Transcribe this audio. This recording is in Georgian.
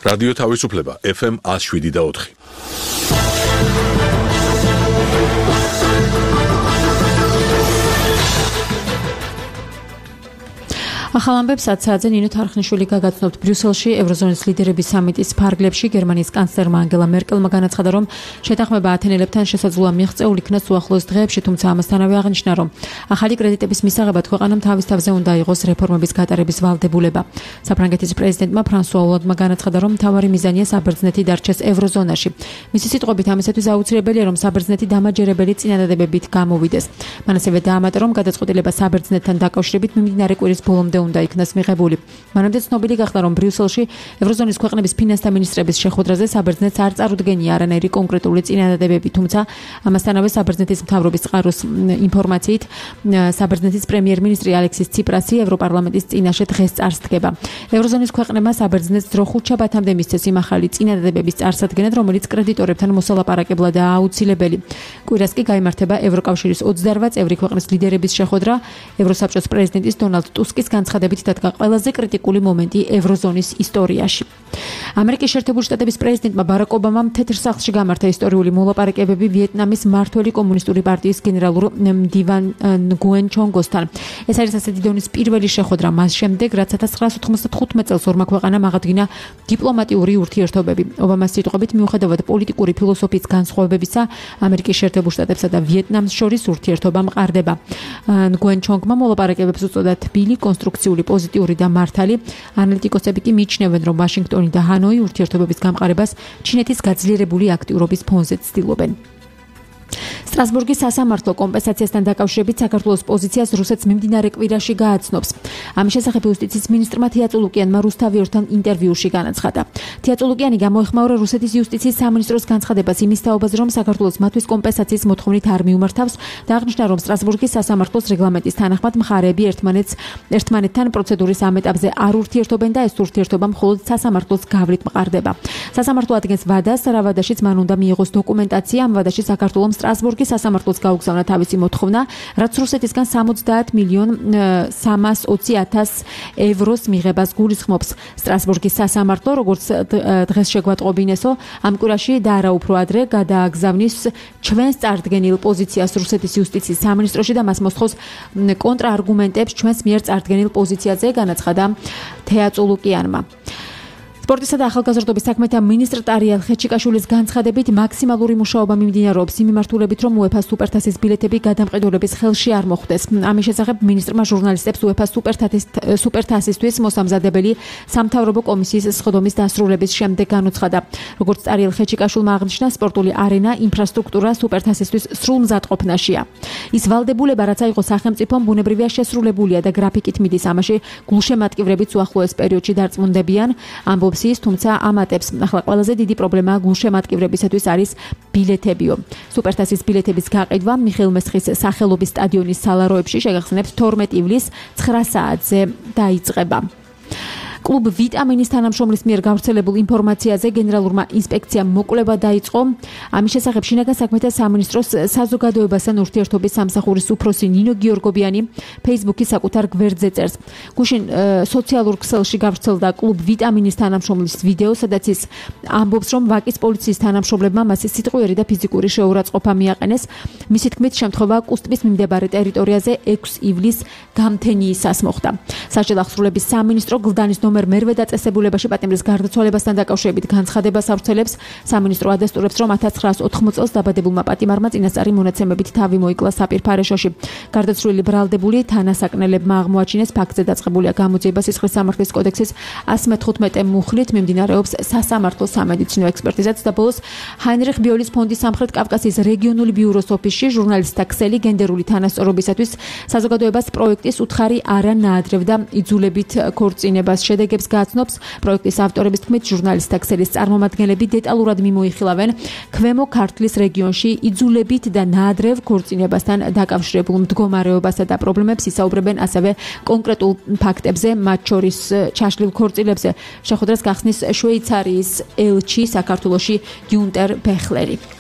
რადიო თავისუფლება FM 107.4. ახალ ამბებს აცაძე ნინო თარხნიშვილი გაგაცნობთ ბრიუსელში ევროზონის ლიდერების სამიტის ფარგლებში გერმანიის კანცლერმა ანგელა მერკელმა განაცხადა, რომ შეთანხმება ათენელებთან შესაძლოა მიღწეულ იქნას უახლოეს დღეებში, თუმცა ამასთანავე აღნიშნა, რომ ახალი კრედიტების მისაღებად ქვეყანამ თავის თავზე უნდა იყოს რეფორმების გატარების ვალდებულება. საფრანგეთის პრეზიდენტმა ფრანსუა ოლანდმა განაცხადა, რომ მთავარი მიზანია საბერძნეთი დარჩეს ევროზონაში. მისი სიტყვებით ამისათვის აუცილებელია, რომ საბერძნეთი დამაჯერებელი წინადადებებით გამოვიდეს. მან ასევე დაამატა, რომ გადაწყვეტილება საბერძნეთთან დაკავშირებით მიმდინარე კვირის ბოლომდე უნდა იქნას მიღებული. მანამდე ცნობილი გახდა, რომ ბრიუსელში ევროზონის ქვეყნების ფინანსთა მინისტრების შეხვედრაზე საბერძნეთს არ წარუდგენია არანაირი კონკრეტული წინადადებები, თუმცა ამასთანავე საბერძნეთის მთავრობის წყაროს ინფორმაციით საბერძნეთის პრემიერ-მინისტრი ალექსის ციპრასი ევროპარლამენტის წინაშე დღეს წარსდგება. ევროზონის ქვეყნებმა საბერძნეთს დრო ხუთშაბათამდე მისცეს იმ ახალი წინადადებების წარსადგენად, რომელიც კრედიტორებთან მოსალაპარაკებლადაა აუცილებელი. კვირას კი გაიმართება ევროკავშირის 28 წევრი ქვეყნის ლიდერების შეხვედრა. ევროსაბჭოს პრეზიდენტის დონალდ ტუსკის განცხადებით დადგა ყველაზე კრიტიკული მომენტი ევროზონის ისტორიაში. ამერიკის შეერთებული შტატების პრეზიდენტმა ბარაკ ობამამ თეთრ სახლში გამართა ისტორიული მოლაპარაკებები ვიეტნამის მმართველი კომუნისტური პარტიის გენერალურ მდივან ნგუენ ჩონგოსთან. ეს არის ასეთი დონის პირველი შეხვედრა მას შემდეგ, რაც 1995 წელს ორმა ქვეყანამ აღადგინა დიპლომატიური ურთიერთობები. ობამას სიტყვებით, მიუხედავად პოლიტიკური ფილოსოფიის განსხვავებებისა, ამერიკის შეერთებულ შტატებსა და ვიეტნამს შორის ურთიერთობა მყარდება. ნგუენ ჩონგმა მოლაპარაკებებს უწოდა თბილი, კონსტრუქციული, პოზიტიური და მართალი. ანალიტიკოსები კი მიიჩნევენ, რომ ვაშინგტონი და ჰანოი ურთიერთობების გამყარებას ჩინეთის გაძლიერებული აქტიურობის ფონზე ცდილობენ. სტრასბურგის სასამართლო კომპენსაციასთან დაკავშირებით საქართველოს პოზიციას რუსეთს მიმდინარე კვირაში გააცნობს. ამის შესახებ იუსტიციის მინისტრმა თეაწულუკიანმა რუსთავიორთან ინტერვიუში განაცხადა. თეაწულუკიანი გამოეხმაურა რუსეთის იუსტიციის სამინისტროს განცხადებას იმის თაობაზე, რომ საქართველოს მათთვის კომპენსაციის მოთხოვნით არ მიუმართავს და აღნიშნა, რომ სტრასბურგის სასამართლოს რეგლამენტის თანახმად მხარეები ერთმანეთთან პროცედურის ამ ეტაპზე არ ურთიერთობენ და ეს ურთიერთობა მხოლოდ სასამართლოს გავლით მყარდება. სასამართლო ადგენს ვადას, რა ვადაშიც მან უნდა მიიღოს დოკუმენტაცია. ამ ვადაში საქართველოს სტრასბურგის სასამართლოს გაუგზავნა თავისი მოთხოვნა, რაც რუსეთისგან 70,320,000 ევროს მიღებას გულისხმობს. სტრასბურგის სასამართლო, როგორც დღეს შეგვატყობინესო, ამ კვირაში და არა უფრო ადრე გადააგზავნის ჩვენს წარდგენილ პოზიციას რუსეთის იუსტიციის სამინისტროში და მას მოსთხოვს კონტრაარგუმენტებს ჩვენს მიერ წარდგენილ პოზიციაზე, განაცხადა თეაწულუკიანმა. სპორტისა და ახალგაზრდობის საქმეთა მინისტრ ტარიელ ხეჩიკაშვილის განცხადებით მაქსიმალური მუშაობა მიმდინარეობს იმ მიმართულებით, რომ UEFA სუპერთასის ბილეთები გადამყიდველების ხელში არ მოხვდეს. ამის შესახებ მინისტრმა ჟურნალისტებს UEFA სუპერთასისთვის მოსამზადებელი სამთავრობო კომისიის სხდომის დასრულების შემდეგ განუცხადა. როგორც ტარიელ ხეჩიკაშვილმა აღნიშნა, სპორტული არენა, ინფრასტრუქტურა სუპერთასისთვის სრულ მზადყოფნაშია. ის ვალდებულება, რაც აიღო სახელმწიფომ, ბუნებრივია შესრულებულია და გრაფიკით მიდის, ამაში გულშემატკივრებიც უახლოეს პერიოდში დარწმუნდებიან, ამბობს ის, თუმცა ამატებს, ახლა ყველაზე დიდი პრობლემა გულშემატკივრებისათვის არის ბილეთებიო. სუპერთასის ბილეთების გაყიდვა მიხეილ მესხის სახელობის სტადიონის სალაროებში შეგახსენებთ 12 ივლისს 9 საათზე დაიწყება. კლუბ ვიტამინის თანამშრომლის მიერ გავრცელებულ ინფორმაციაზე გენერალურმა ინსპექციამ მოკვლევა დაიწყო. ამის შესახებ შინაგან საქმეთა სამინისტროს საზოგადოებასთან ურთიერთობის სამსახურის უფროსი ნინო გიორგობიანი Facebook-ის საკუთარ გვერდზე წერს. გუშინ სოციალურ ქსელში გავრცელდა კლუბ ვიტამინის თანამშრომლის ვიდეო, სადაც ის ამბობს, რომ ვაკის პოლიციის თანამშრომლებმა მას სიტყვიერი და ფიზიკური შეურაცხყოფა მიაყენეს. მისი თქმით, შემთხვევა კუსტბის მიმდებარე ტერიტორიაზე 6 ივლისს გამთენიისას მოხდა. სასჯელ აღსრულების სამინისტრო გლდანის ნომერ მერვე დაწესებულებაში პატიმრის გარდაცვალებასთან დაკავშირებით განცხადებას ავრცელებს. სამინისტრო ადასტურებს, რომ 1980 წელს დაბადებულმა პატიმარმა წინასწარი მონაცემებით თავი მოიკლა საპირფარეშოში. გარდაცვლილი ბრალდებული თანასაკნელებმა აღმოაჩინეს, ფაქტზე დაწყებულია გამოძიება სისხლის სამართლის კოდექსის 115 მუხლით, მიმდინარეობს სასამართლო სამედიცინო ექსპერტიზაც და ბოლოს ჰაინრიხ ბიოლის ფონდის სამხრეთ კავკასიის რეგიონული ბიუროს ოფისში ჟურნალისტთა ქსელი გენდერული თანასწორობისათვის საზოგადოებას პროექტის უთხარი არა ნაადრევ და იძულებით ქორწინებას შედეგებს გააცნობს. პროექტის ავტორების თქმით, ჟურნალისტთა ქსელის წარმომადგენლები დეტალურად მიმოიხილავენ ქვემო ქართლის რეგიონში იძულებით და ნაადრევ ქორწინებასთან დაკავშირებულ მდგომარეობასა და პრობლემებს, ისაუბრებენ ასევე კონკრეტულ ფაქტებზე, მათ შორის ჩაშლილ ქორწილებზე. შეხვედრას გახსნის შვეიცარიის ელჩი საქართველოში გიუნტერ ბეხლერი.